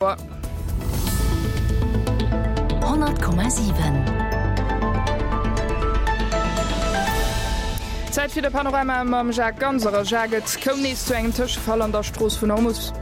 100,7. Zäit fir de Panorama mam Jacques Ganser. A Jacques, et koum nees zu engem Tëschefall an der Strooss vun Hormus.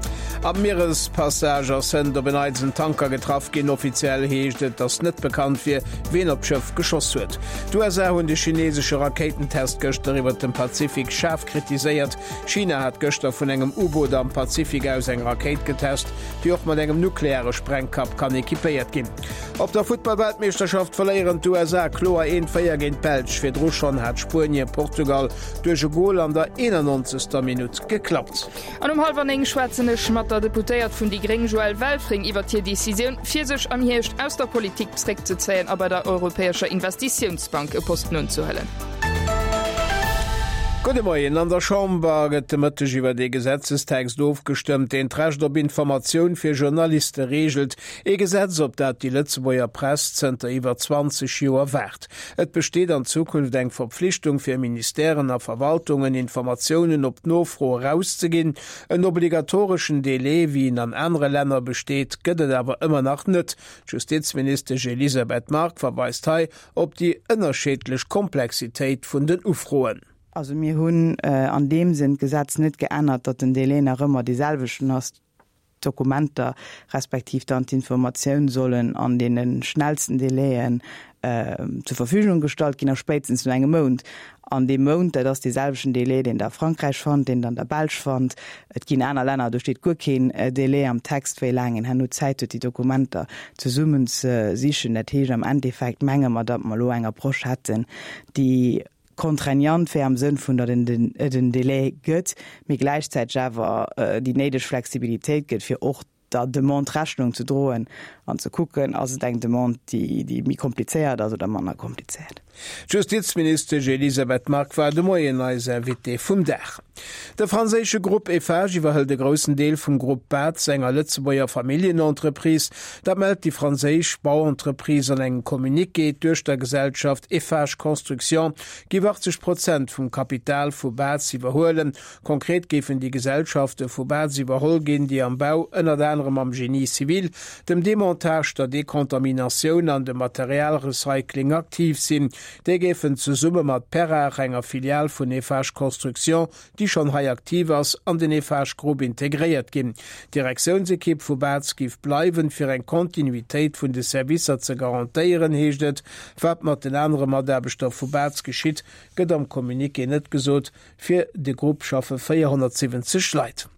Am Mierespassage ass hënt op en Neits en Tanker getraff ginn. Offiziell heescht et, datt net bekannt wier, wien op d'Schëff geschoss huet. D'USA hunn de chinesesche Rakéitentest gëschter iwwert dem Pazifik schaarf kritiséiert. China hat gëschter vun engem U-Boot am Pazifik aus eng Rakéit getest, déi och mat engem nukleare Sprengkapp kann equipéiert ginn. Op der Futtballweltmeeschterschaft verléieren d'USA kloer 1, 4 géint d'Belsch. Virdru schonn hat Spuenie Portugal duerch e Gol an der 91. Minutt geklappt. An um hallwer 9 schwätzen ech mat der Deputéiert vun déi gréng Joëlle Welfring iwwert hir Decisioun, fir sech am Hierscht aus der Politik zréckzezéien a bei der Europäescher Investitiounsbank e Posten unzehuelen. Gudde Moien. An der Chamber gëtt de Mëtteg iwwer ee Gesetzestext ofgestëmmt, deen d'Recht op Informatioun fir Journaliste reegelt. Ee Gesetz, op dat déi Lëtzebuerger Press zënter iwwer 20 Joer waart. Et besteet an Zukunft eng Verpflichtung fir Ministèren a Verwaltungen, Informatiounen op Nofro erauszeginn. En obligatoreschen Delai, wéi en an anere Länner besteet, gëtt et awer ëmmer nach net. D'Justizministesch Elisabeth Margue verweist hei op déi ënnerscheedlech Komplexitéit vun den Ufroen. Also mir hunn an deem Sënn d'Gesetz net geännert, datt den Délai nach ëmmer dee selwechten ass. D'Dokumenter respektiv dann d'Informatioun sollen an deene schnellsten Délaien zur Verfügung gestallt ginn a spéitstens no engem Mount. An dee Mount, dat ass dee selwechten Délai, deen Der a Frankräich fannt, deen Der an der Belsch fannt. Et ginn aner Länner, do steet guer keen Délai am Text, wéi laang een herno Zäit huet, déi Dokumenter zesummen ze sichen. Dat heescht, am Endeffekt menge mer, datt mer elo eng Approche hätten, déi contraignant wär am Sënn vun, datt et en Délai gëtt, mee gläichzäiteg awer déi néideg Flexibilitéit gëtt, fir och der Demande Rechnung ze droen an ze kucken, ass et eng Demande, déi méi komplizéiert ass oder manner komplizéiert. D'Justizministesch Elisabeth Margue war de Moien eis Invitée vum Dag. De franséische Grupp Eiffage iwwerhëlt e groussen Deel vum Grupp Batz, enger Lëtzebuerger Familljenentreprise. Dat mellt déi franséisch Bauentreprise an engem Communiqué. D'Duechtergesellschaft Eiffage Construction géif 80 Prozent vum Kapital vu Batz iwwerhuelen. Konkret géifen déi Gesellschafte vu Baz iwwerholl ginn, déi am Bau, ënnert anerem am Génie civil, dem Demontage, der Dekontaminatioun an dem Materialrecycling aktiv sinn. Déi géifen zesumme mat Perrach, enger Filial vun Eiffage Construction, déi schonn hei aktiv ass, an den Eiffage Group integréiert ginn. D'Direktiounsekipp vu Baz géif bleiwen, fir eng Kontinuitéit vun de Servicer ze garantéieren, heescht et. Wat mat den anere Mataarbechter vu Baz geschitt, gëtt am Communiqué net gesot. Fir de Grupp schaffe 470 Leit.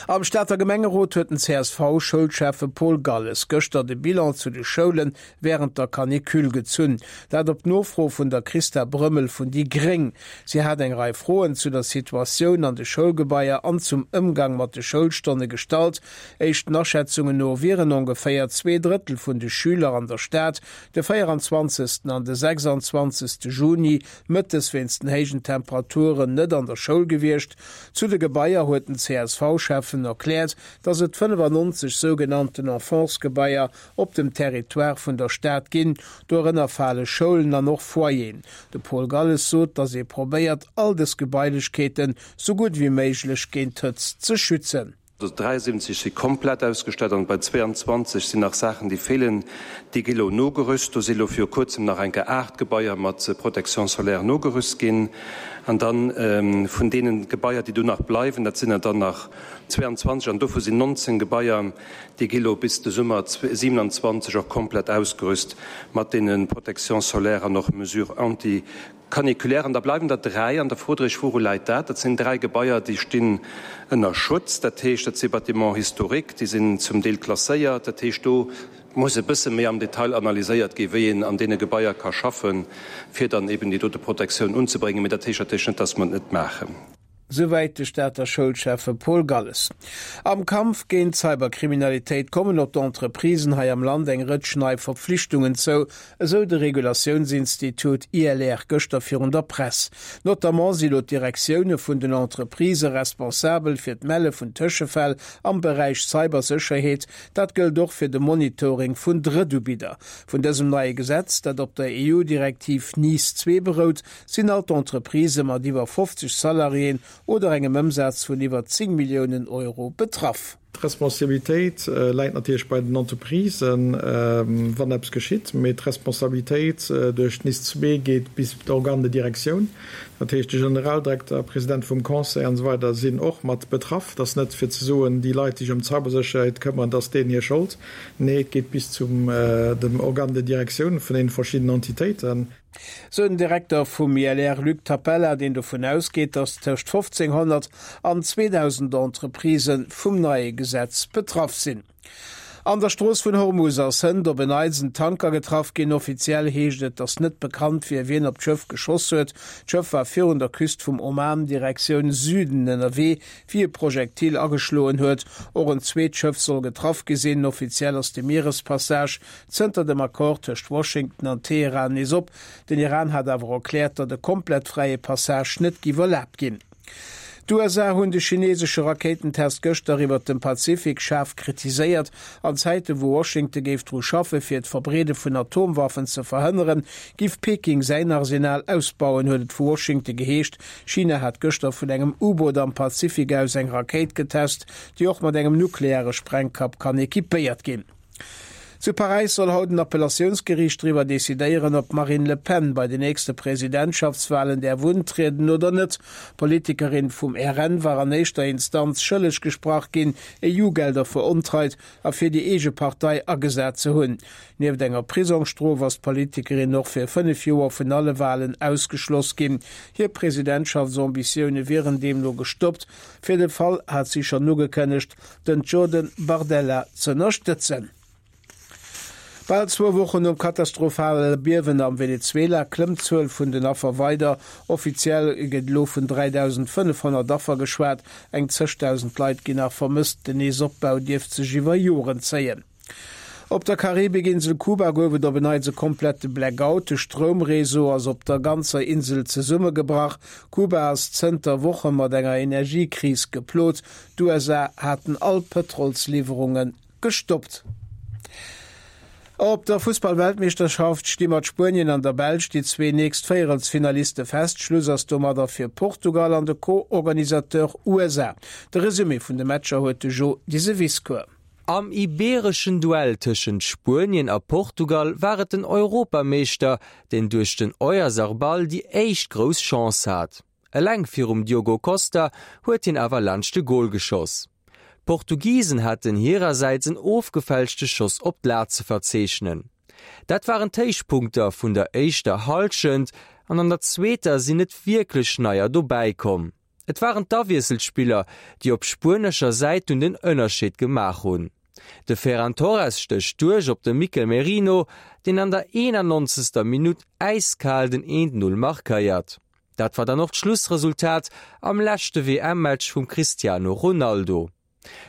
Am Stater Gemengerot huet den CSV-Schoulschäffe Paul Galles gëschter de Bilan zu de Schoule wärend der Canicule gezunn. Dat op Nofro vun der Christa Brömmel vun déi gréng. Si hat eng Rei Froen zu der Situatioun an de Schoulgebaier an zum Ëmgang mat de Schoulstonne gestallt. Éischten Aschätzungen no wieren ongeféier 2 Drëttel vun de Schüler an der Stad de 24. an de 26. Juni Mëttes wéinst den héijen Temperaturen net an der Schoul gewiescht. Zu de Gebaier huet den CSV-Schäffen erkläert, datt et 95 sougenannten Enfantsgebaier op dem Territoire vun der Stad ginn. Dorënner fale Schoulen an och Foyeren. De Paul Galles sot, datt ee probéiert, all dës Gebailechkeeten sou gutt ewéi méiglech géint d'Hëtzt ze schützen. 73 si komplett ausgestatt an bei 22 sinn nach Saachen, déi feelen. Déi gi lo nogerüst. Do si lo viru kuerzem nach eng Kéier 8 Gebaier mat Protection solaire nogerüst ginn. An da vun deene Gebaier, déi do nach bleiwen, dat sinn der dann nach 22 an dovu sinn 19 Gebaier, déi gi lo bis de Summer 27 och komplett ausgerüst mat deene Protections solaires an och Mesures anti Caniculaire, an da bleiwen der 3, an da frot Der Iech, Wouru läit dat? Dat sinn 3 Gebaier, déi stinn ënner Schutz. Dat heescht, dat si Bâtiments historiques, déi sinn zum Deel klasséiert. Dat heescht, do muss e bësse méi am Detail analyséiert ginn, wéi een an deene Gebaier ka schaffen, fir dann eben déi dote Protektioun unzebréngen. Mee dat heescht natierlech net, dass mer et net maachen. Souwäit de Stater Schoulschäffe Paul Galles. Am Kampf géint d'Cyberkriminalitéit kommen op d'Entreprisen hei am Land eng Rëtsch nei Verpflichtungen zou, esou de Regulatiounsinstitut ILR gëschter virun der Press. Notamment si lo d'Direktioune vun den Entreprisë responsabel fir d'Melle vun Tëschefäll am Beräich Cybersécherheet. Dat gëllt och fir de Monitoring vun Drëttubidder. Vun dësem neie Gesetz, dat op der EU-Direktiv NIS 2 berout, sinn all d'Entreprisë mat iwwer 50 Salariéen oder engem Ëmsaz vun iwwer 10 Milliounen Euro betraff. D'Responsabilitéit läit natierlech bei den Entreprisen, wann eppes geschitt, mee d'Responsabilitéit duerch d'NIS 2 geet bis d'Organes de direction, dat heescht de Generaldirekter, President vum Conseil an esou weider sinn och mat betraff. Et ass net fir ze soen, déi Leit, déi sech ëm d'Cybersécherheet këmmeren, et ass deenen hir Schold. Nee, et geet bis zum dem Organe de direction vun deene verschiddenen Entitéiten. Sou den Direkter vum ILR Luc Tapella, deen dovun ausgeet, datt tëscht 1.500 an 2.000 Entreprisë vum neie Gesetz betraff sinn. An der Strooss vun Hormus ass hënt op en Neits en Tanker getraff ginn. Offiziell heescht et, datt net bekannt wier, wien op d'Schëff geschoss huet. D'Schëff war virun der Küst vum Oman Direktioun Süden ënnerwee, wéi e Projektil ageschloen huet. Och en zweet Schëff soll getraff gi sinn. Offiziell ass de Mierespassage Zënter dem Accord tëscht Washington an Teheran nees op. Den Iran hat awer erkläert, datt e komplett fräie Passage net giff erlaabt ginn. D'USA hunn de chinesesche Rakéitentest gëschter iwwert dem Pazifik schaarf kritiséiert. An Zäite wou Washington géif dru schaffe fir d'Verbreede vun Atomwaffen ze verhënneren, giff Peking säin Arsenal ausbauen, huet et vu Washington geheescht. China hat gëschter vun engem U-Boot am Pazifik aus eng Rakéit getest, déi och mat engem nukleare Sprengkapp kann equipéiert ginn. Zu Paräis soll haut en Appellatiounsgeriicht driwwer decidéieren, ob d'Marine Le Pen bei den nächste Presidentschaftswalen däerf untrieden oder net. D'Politikerin vum RN war an éischter Instanz schëlleg gesprach ginn, EU-Gelder verontreit a fir déi eege Partei agesat ze hunn. Nieft enger Prisongsstrof ass d'Politikerin och fir 5 Joer vun alle Walen ausgeschloss ginn. Hir Presidentschaftsambitioune wieren deemno gestoppt. Fir de Fall hat si schonn ugekënnegt, den Jordan Bardella z'ënnerstëtzen. Bal zwou Wochen nom katastrophale Biewen am Venezuela klëmmt d'Zuel vun den Affer weider. Offiziell gëtt elo vun 3.500 Affer geschwat. Eng zëchtausend Leit ginn nach vermësst. Den Neesopbau dierft sech iwwer Joren zéien. Op der Karibikinsel Kuba gouf et op en Neits e komplette Blackout. De Stroumreseau ass op der ganzer Insel zesummegebrach. Kuba ass zënter Woche mat enger Energiekris geplot. D'USA haten all Pëtrolsliwwerunge gestoppt. Op der Fussball-Weltmeeschterschaft sti mat Spuenien an der Belsch déi zwee nächst Véierelsfinaliste fest. Schluss ass domadder fir Portugal an de Co-Organisateur USA. De Resumé vun de Matcher huet de Jo Diseviscourt. Am ibeereschen Duell tëschent Spuenien a Portugal war et den Europameeschter, deen duerch den Oyarzabal déi éischt grouss Chance hat. Eleng virum Diogo Costa huet hien awer laanscht de Gol geschoss. D'Portugisen haten hirersäits en ofgefälschte Schoss op d'Lat ze verzeechnen. Dat waren d'Héichpunkter vun der éischter Hallschent an an der zweeter sinn net wierklech neier dobäi komm. Et waren d'Awiesselspiller, déi op spuenescher Säit dunn den Ënnerscheed gemaach hunn. De Ferran Torres stécht duerch op de Mikel Merino, deen an der 91. Minutt äiskal den 1, 0 markéiert. Dat war dann och d'Schlussresultat am leschte WM-Match vum Cristiano Ronaldo.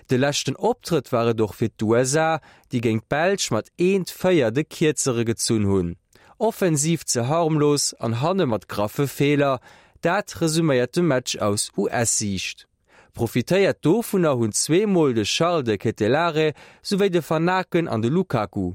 De leschten Optrëtt war et och fir d'USA, déi géint d'Belsch mat eent, 4 de Kierzere gezunn hunn. Offensiv ze harmlos an hanne mat graffe Feeler, dat resuméiert de Match aus US-Siicht. Profitéiert dovunner hunn zweemol de Charles de Ketelaere souwéi de Vanaken an de Lukaku.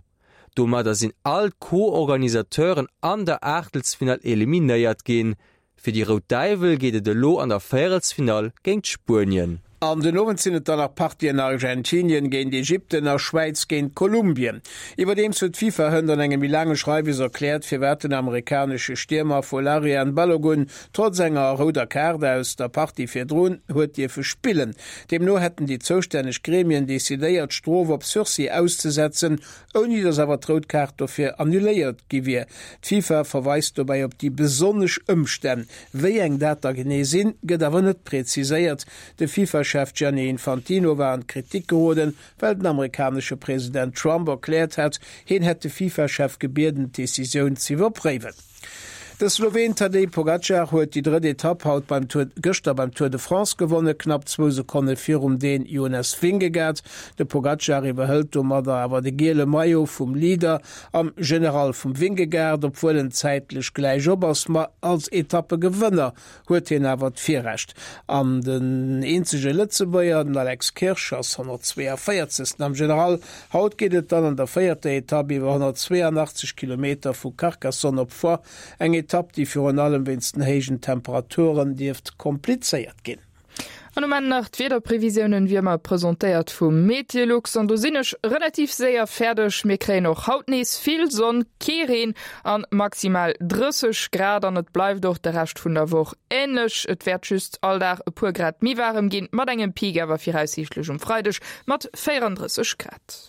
Domadder sinn all d'Co-Organisateuren an der Aachtelsfinall eliminéiert ginn. Fir déi Rout Däiwel geet et elo an der Véierelsfinall géint Spuenien. An den Owend sinn et dann nach Partien Argentinien géint Ägypten a Schwäiz géint Kolumbien. Iwwerdeems huet d'FIFA hënt an engem méi laange Schreiwes erkläert, firwat den amerikanesche Stiermer Folarin Balogun trotz enger rouder Kaart aus der Partie virdrun huet dierfe spillen. Deemno hätten déi zoustänneg Gremien decidéiert, d'Strof op Sursis auszesetzen, ouni datt awer d'rout Kaart dofir annuléiert gi wier. D'FIFA verweist dobäi op déi besonnesch Ëmstänn. Wéi eng dat da genee sinn, gëtt awer net preziséiert. De FIFA-Chef Gianni Infantino war an d'Kritik geroden, well den amerikanesche President Trump erkläert hat, hien hätt de FIFA-Chef gebieden, d'Decisioun z'iwwerpréiwen. De Sloween Tadej Pogacar huet déi drëtt Etapp haut beim Tour gëschter beim Tour de France gewonnen, knapp zwou Sekonne virum Dän Jonas Vingegaard. De Pogacar iwwerhëlt domadder awer de giele Maillot vum Leader am General vum Vingegaard, obwuel en zäitlech gläich op ass. Ma als Etappegewënner huet hien awer d'Virrecht. An den eenzege Lëtzebuerger, den Alex Kirsch, ass 142. Am General. Haut geet et dann an der véierter Etapp iwwer 182 Kilometer vu Carcassonne op Foix. Eng Etapp, déi virun allem wéinst den héijen Temperaturen dierft komplizéiert ginn. An um Enn nach d'Wiederprevisiounen, wéi ëmmer presentéiert vum Meteolux. An do sinn ech relativ séier fäerdeg. Mir kréien och haut nees vill Sonn, kee Reen an maximal 30 Grad. An et bleift och de Rescht vun der Woch änlech. Et wäert just all Dag e puer Grad méi waarem ginn, mat engem Peak awer viraussiichtlech um Freideg mat 34 Grad.